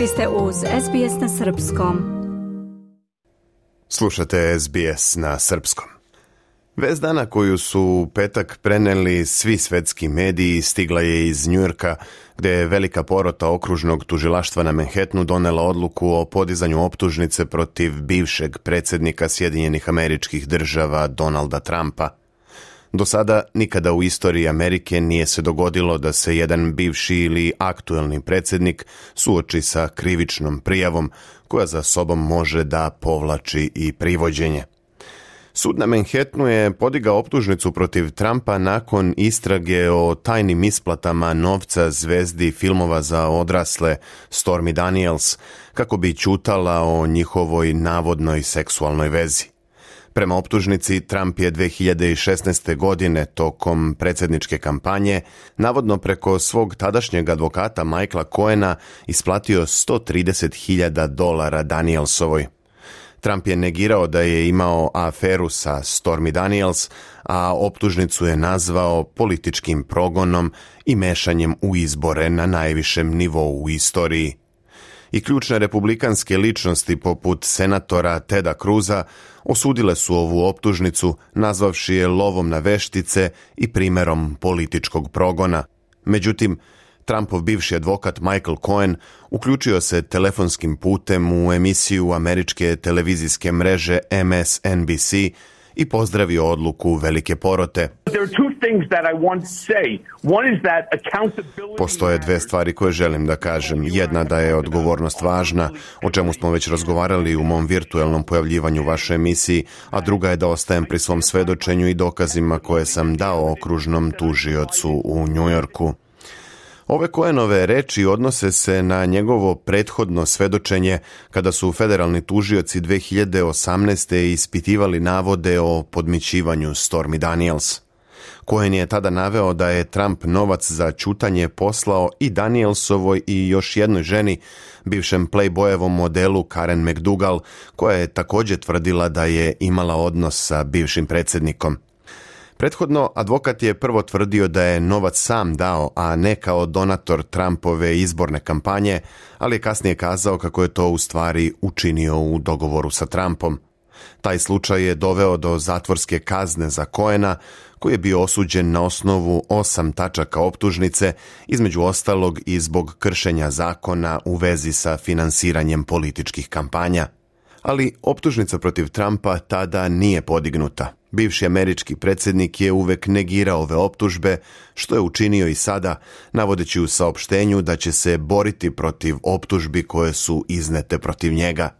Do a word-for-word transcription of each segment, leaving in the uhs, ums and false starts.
Vi ste uz S B S na srpskom. Slušate S B S na srpskom. Vest dana koju su u petak preneli svi svetski mediji stigla je iz Njujorka, gdje je velika porota okružnog tužilaštva na Manhattanu donela odluku o podizanju optužnice protiv bivšeg predsjednika Sjedinjenih Američkih Država Donalda Trumpa. Do sada nikada u istoriji Amerike nije se dogodilo da se jedan bivši ili aktuelni predsjednik suoči sa krivičnom prijavom koja za sobom može da povlači i privođenje. Sud na Manhattanu je podigao optužnicu protiv Trumpa nakon istrage o tajnim isplatama novca zvezdi filmova za odrasle Stormy Daniels, kako bi ćutala o njihovoj navodnoj seksualnoj vezi. Prema optužnici, Trump je dve hiljade šesnaeste. godine tokom predsjedničke kampanje navodno preko svog tadašnjeg advokata Michaela Cohena isplatio sto trideset hiljada dolara Danielsovoj. Trump je negirao da je imao aferu sa Stormy Daniels, a optužnicu je nazvao političkim progonom i mešanjem u izbore na najvišem nivou u istoriji. I ključne republikanske ličnosti poput senatora Teda Cruza osudile su ovu optužnicu, nazvavši je lovom na veštice i primjerom političkog progona. Međutim, Trumpov bivši advokat Michael Cohen uključio se telefonskim putem u emisiju američke televizijske mreže M S N B C i pozdravio odluku velike porote. Postoje dve stvari koje želim da kažem. Jedna da je odgovornost važna, o čemu smo već razgovarali u mom virtualnom pojavljivanju u vašoj emisiji, a druga je da ostajem pri svom svedočenju i dokazima koje sam dao okružnom tužiocu u Njujorku. Ove Cohenove reči odnose se na njegovo prethodno svedočenje kada su federalni tužioci dve hiljade osamnaeste. ispitivali navode o podmićivanju Stormy Daniels. Cohen je tada naveo da je Trump novac za ćutanje poslao i Danielsovoj i još jednoj ženi, bivšem Playboyevom modelu Karen McDougal, koja je također tvrdila da je imala odnos sa bivšim predsjednikom. Prethodno, advokat je prvo tvrdio da je novac sam dao, a ne kao donator Trumpove izborne kampanje, ali je kasnije kazao kako je to u stvari učinio u dogovoru sa Trumpom. Taj slučaj je doveo do zatvorske kazne za Cohena, koji je bio osuđen na osnovu osam tačaka optužnice, između ostalog i zbog kršenja zakona u vezi sa finansiranjem političkih kampanja. Ali optužnica protiv Trumpa tada nije podignuta. Bivši američki predsjednik je uvek negirao ove optužbe, što je učinio i sada, navodeći u saopštenju da će se boriti protiv optužbi koje su iznete protiv njega.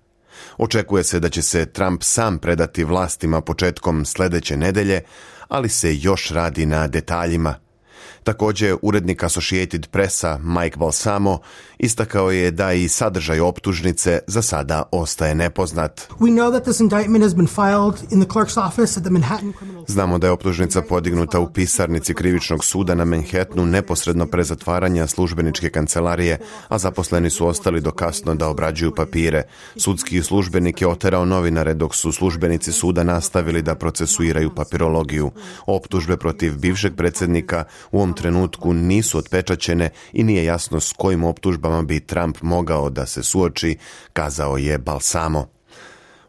Očekuje se da će se Trump sam predati vlastima početkom sljedeće nedelje, ali se još radi na detaljima. Također, urednik Associated Pressa Mike Balsamo istakao je da i sadržaj optužnice za sada ostaje nepoznat. Znamo da je optužnica podignuta u pisarnici krivičnog suda na Manhattanu neposredno pre zatvaranja službeničke kancelarije, a zaposleni su ostali do kasno da obrađuju papire. Sudski službenik je oterao novinare dok su službenici suda nastavili da procesuiraju papirologiju. Optužbe protiv bivšeg predsjednika u ovom trenutku nisu otpečaćene i nije jasno s kojim optužbama bi Trump mogao da se suoči, kazao je Balsamo.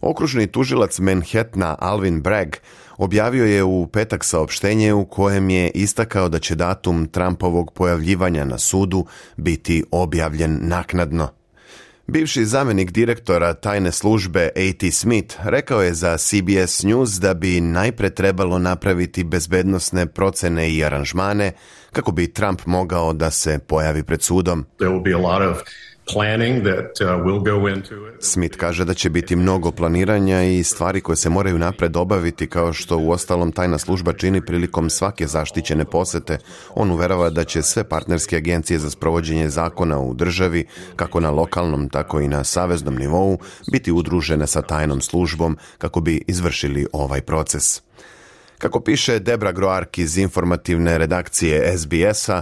Okružni tužilac Manhattana Alvin Bragg objavio je u petak saopštenje u kojem je istakao da će datum Trumpovog pojavljivanja na sudu biti objavljen naknadno. Bivši zamjenik direktora tajne službe A T Smith rekao je za C B S News da bi najpre trebalo napraviti bezbednosne procene i aranžmane kako bi Trump mogao da se pojavi pred sudom. There will be a lot of planning that uh, will go into it. Smith kaže da će biti mnogo planiranja i stvari koje se moraju napred obaviti, kao što u ostalom tajna služba čini prilikom svake zaštićene posete. On uverava da će sve partnerske agencije za sprovođenje zakona u državi, kako na lokalnom, tako i na saveznom nivou, biti udružene sa tajnom službom kako bi izvršili ovaj proces. Kako piše Debra Groark iz informativne redakcije S B S-a,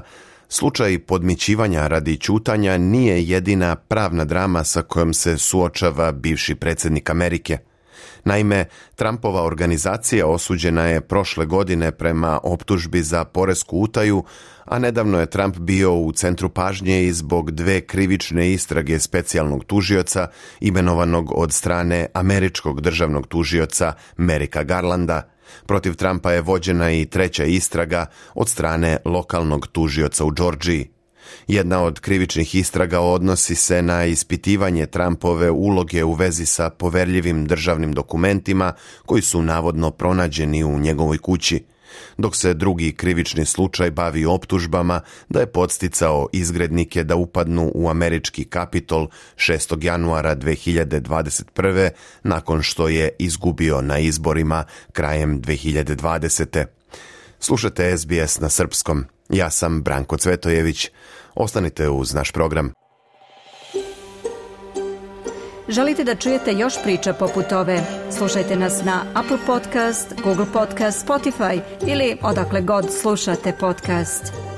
slučaj podmićivanja radi ćutanja nije jedina pravna drama sa kojom se suočava bivši predsjednik Amerike. Naime, Trumpova organizacija osuđena je prošle godine prema optužbi za poresku utaju, a nedavno je Trump bio u centru pažnje i zbog dve krivične istrage specijalnog tužioca imenovanog od strane američkog državnog tužioca Merika Garlanda. Protiv Trumpa je vođena i treća istraga od strane lokalnog tužioca u Džordžiji. Jedna od krivičnih istraga odnosi se na ispitivanje Trumpove uloge u vezi sa poverljivim državnim dokumentima koji su navodno pronađeni u njegovoj kući, dok se drugi krivični slučaj bavi optužbama da je podsticao izgrednike da upadnu u američki Kapitol šestog januara dve hiljade dvadeset prve nakon što je izgubio na izborima krajem dve hiljade dvadesete. Slušate S B S na srpskom. Ja sam Branko Cvetojević. Ostanite uz naš program. Želite da čujete još priča poput ove? Slušajte nas na Apple Podcast, Google Podcast, Spotify ili odakle god slušate podcast.